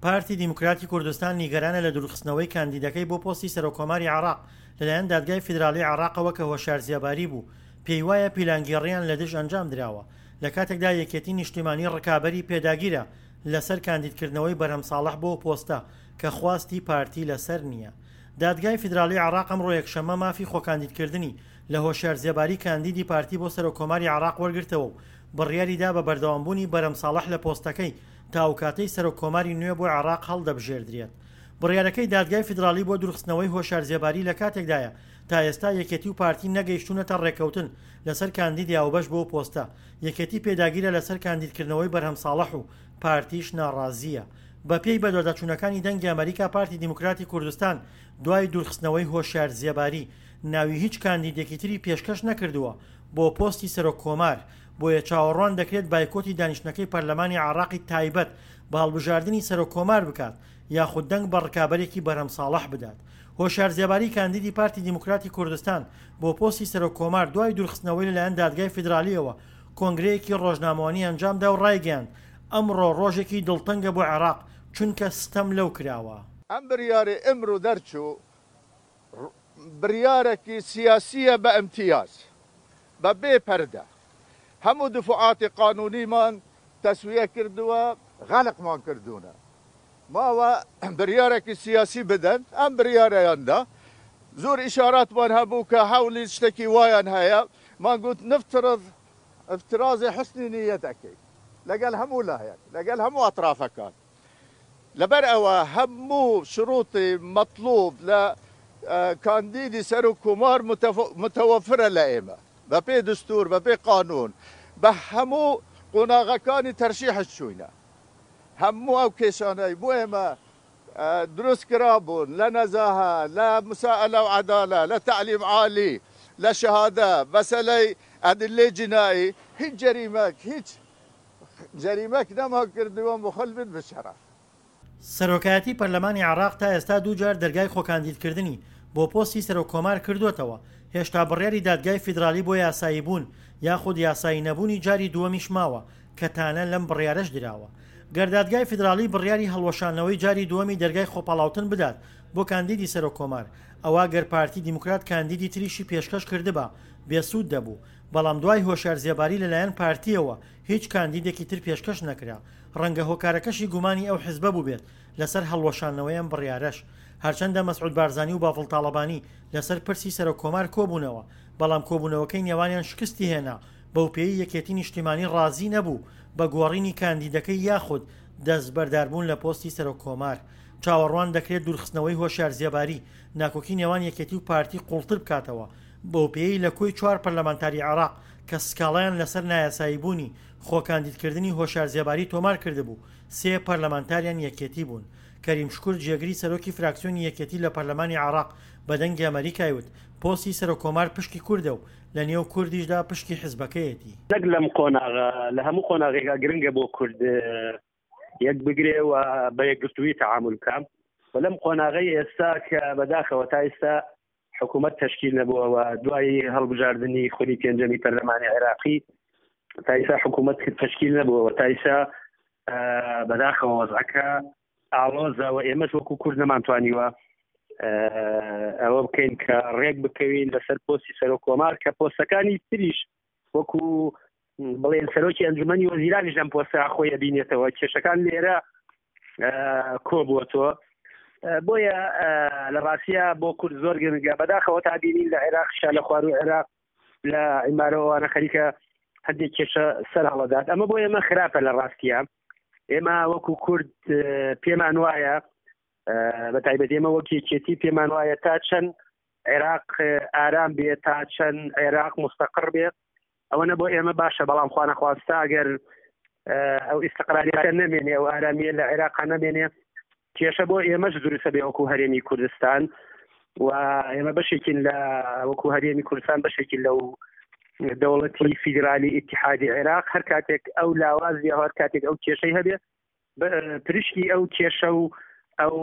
پارتی دیموکراتی کوردستان نیگەرانە لە دوورخستنەوەی کاندیدەکەی بۆ پۆستی سەرۆککۆماری عێراق لەلایەن دادگای فیدراڵیی عێراقەوە کە هۆشیار زێباری بوو، پێیوایە پیلانگێڕییان لە دژ ئەنجامدراوە، لەکاتێکدا یەکێتی نیشتیمانی ڕکابەری پێداگیرە لەسەر کاندیدکردنەوەی بەرهەم ساڵح بۆ پۆستە کە خواستی پارتی لەسەر نییە. دادگای فیدراڵیی عێراق ئەمڕۆ یەکشەممە مافی خۆکاندیدکردنی لە هۆشیار زێباری کاندیدی پارتی بۆ سەرۆککۆماری عێراق وەرگرتەوە و بڕیاریدا بە بەردەوامبوونی بەرهەم ساڵح لە پۆستەکەی تا ئەوکاتەی سەرۆک کۆماری نوێ بۆ عێراق هەڵدەبژێردرێت. بڕیارەکەی دادگای فیدراڵی بۆ دوورخستنەوەی هۆشیار زێباری لەکاتێکدایە تا ئێستا یەکێتی و پارتی نەگەیشتوونەتە ڕێککەوتن لەسەر کاندیدی هاوبەش بۆ پۆستە، یەکێتی پێداگیرە لەسەر کاندیدکردنەوەی بەرهەم ساڵح و پارتیش ناڕازییە. بەپێی بەدواداچوونەکانی دەنگی ئەمەریکا پارتی دیموکراتی کوردستان دوای دوورخستنەوەی هۆشیار زێباری ناوی هیچ کاندیدێکی تری پێشکەش نەکردووە بۆ پۆستی سەرۆک کۆمار، بۆیە چاوەڕوان دەکرێت بایکۆتی دانیشتنەکەی پەرلەمانی عێراقی تایبەت بە هەڵبژاردنی سەرۆک کۆمار بکات یاخود دەنگ بە ڕکابەرێکی بەرهەم ساڵح بدات. هۆشیار زێباری کاندیدی پارتی دیموکراتی کوردستان بۆ پۆستی سەرۆک کۆمار دوای دوورخستنەوەی لەلایەن دادگای فیدرالییەوە کۆنگرەیەکی ڕۆژنامەوانی ئەنجامدا و ڕایگەیاند ئەمڕۆ ڕۆژێکی دڵتەنگە بۆ عێراق چونکە ستەم لەو کراوە. ئەم بریارەی ئمرو دەرچوو بریارەکی سیاسیە بە ئیمتیاز بە بێ پەردە هەموو دفوعاتی قانونیمان تەسویە کردووە غەرقمان کردوونە ماوە بریارەکی سیاسی بدەن ئەم بریارەیان دا زۆر ئیشاراتمان هەبوو کە هەولی شتەکی وایان هەیە مان گوت نفترض افتراضی حسنی نیەت ئەکەین لەگەل هەموو لایەک لەگەل هەموو ئەترافەکان لەبەر ئەوە هەموو شروطی مەتلوب لە کاندیدی سەرۆک کۆمار متوفرە لە ئێمە بە پێی دستور بە پێی قانون بە هەموو قۆناغەکانی تەرشیحش چووینە هەموو ئەو کێشانەی بۆ ئێمە دروست کرابوون لە نەزاهە لە مسائلە و عەدالە لە تەعلیم عالی لە شەهادە مەسەلەی ئەدلەی جینائی هیچ جەریمەک هیچ جەریمەک نەمان کردووە مخل بن بشەرەف. سەرۆکایەتی پەرلەمانی عێراق تا ئێستا دووجار دەرگای خۆکاندیدکردنی بۆ پۆستی سەرۆک کۆمار کردووەتەوە، هێشتا بڕیاری دادگای فیدرالی بۆ یاساییبوون یاخود یاسایی نەبوونی جاری دووەمیش ماوە کە تانە لەم بڕیارەش دراوە. گەر دادگای فیدراڵی بڕیاری هەڵوەشاندنەوەی جاری دووەمی دەرگای خۆپاڵاوتن بدات بۆ کاندیدی سەرۆک کۆمار، ئەوا گەر پارتی دیموکرات کاندیدی تریشی پێشکەش کردبا بێسوود دەبوو، بەڵام دوای هۆشیار زێباری لەلایەن پارتییەوە هیچ کاندیدێکی تر پێشکەش نەکرا، ڕەنگە هۆکارەکەشی گومانی ئەو حزبە بووبێت لەسەر هەڵوەشاندنەوەی ئەم بڕیارەش. هەرچەندە مەسعود بارزانی و بافڵ تاڵەبانی لەسەر پرسی سەرۆک کۆمار کۆبوونەوە، بەڵام کۆبوونەوەکەی نێوانیان شکستی هێنا، بەوپێیەی یەکێتی نیشتیمانی ڕازی نەبوو بە گۆڕینی کاندیدەکەی یاخود دەستبەرداربوون لە پۆستی سەرۆک کۆمار. چاوەڕوان دەکرێت دوورخستنەوەی هۆشیار زێباری ناکۆکی نێوان یەکێتی و پارتی قوڵتر بکاتەوە، بەوپێیەی لە کۆی چوار پەرلەمانتاری عێراق کە سکاڵایان لەسەر نایاساییبوونی خۆکاندیدکردنی هۆشیار زێباری تۆمار کردبوو، سێ پەرلەمانتاریان یەکێتی بوون. کەریم شوکر جێگری سەرۆکی فراکسیۆنی یەکێتی لە پەرلەمانی عێراق بە دەنگی ئەمەریکای وت، پۆستی سەرۆک کۆمار پشکی کوردە و لە نێو کوردیشدا پشکی حزبەکەیەتی. نەک لەم قۆناغە، لە هەموو قۆناغێکا گرنگە بۆ کورد یەک بگرێ و بە یەکگرتوویی تەعامول بکا و لەم قۆناغەی ئێستا کە بەداخەوە تا ئێستا حکوومەت تەشکیل نەبووە و دوای هەڵبژاردنی خولی پێنجەمی پەرلەمانی عێراقی تا ئێستا حکوومەت تەشکیل نەبووە و تا ئێستا بەداخەوە وەزعەکە ئاڵۆزە و ئێمەش وەکو کورد نەمانتوانیوە ئەوە بکەین کە ڕێک بکەوین لەسەر پۆستی سەرۆک کۆمار کە پۆستەکانی تریش وەکو بڵێن سەرۆکی ئەنجومەنی وەزیرانیش لەم پۆستە خۆی ئەبینێتەوە کێشەکان لێرە کۆبووەتەوە بۆیە لە ڕاستە بۆ کورد زۆر گرنگە بەداخەوە تا بینین لە عێراق شا لە خواروو عێراق لە عیمارەوەوانە خەریکە هەندێک کێشە سەر هەڵەدات ئەمە بۆ ئێمە خراپە لە ڕاستیە ئێمە وەکو کورد پێمان وایە بە تایبەت ئێمە وەک یەکێتی پێمان وایە تا چەند عێراق ئارام بێ تا چەند عێراق مستەقڕ بێ ئەوەنە بۆ ئێمە باشە بەڵام خوانەخواستە ئەگەر ئەو ئیستقراریەکە نەمێنێ ئەو ئارامیە لە عێراق نەمێنێ کێشە بۆ ئێمەش دروستە بێ وەکو هەرێمی کوردستان و ئێمە بەشێکین لە وەکو هەرێمی کوردستان بەشێکین لەو دەوڵەتی فیدرالی ئیتحادی عێراق هەر کاتێک ئەو لاوازی هەر کاتێک ئەو کێشەی هەبێ پرشکی ئەو کێشە و ئەو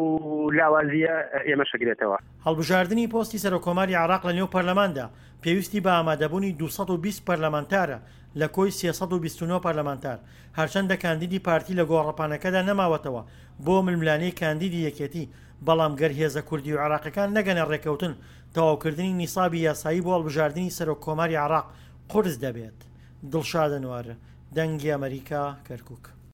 لاوازییە ئێمەش ئەگرێتەوە. هەڵبژاردنی پۆستی سەرۆککۆماری عێراق لە نێو پەرلەماندا پێویستی بە ئامادەبوونی 220 پەرلەمانتارە لە کۆی 329 پەرلەمانتار، هەرچەندە کاندیدی پارتی لە گۆڕەپانەکەدا نەماوەتەوە بۆ ململانێی کاندیدی یەکێتی، بەڵام گەر هێزە کوردی و عێراقیەکان نەگەنە ڕێککەوتن، تەواوکردنی نیسابی یاسایی بۆ هەڵبژاردنی سەرۆک کۆماری عێراق قورس دەبێت. دڵشاد ئەنوەر، دەنگی ئەمەریکا، کەرکوک.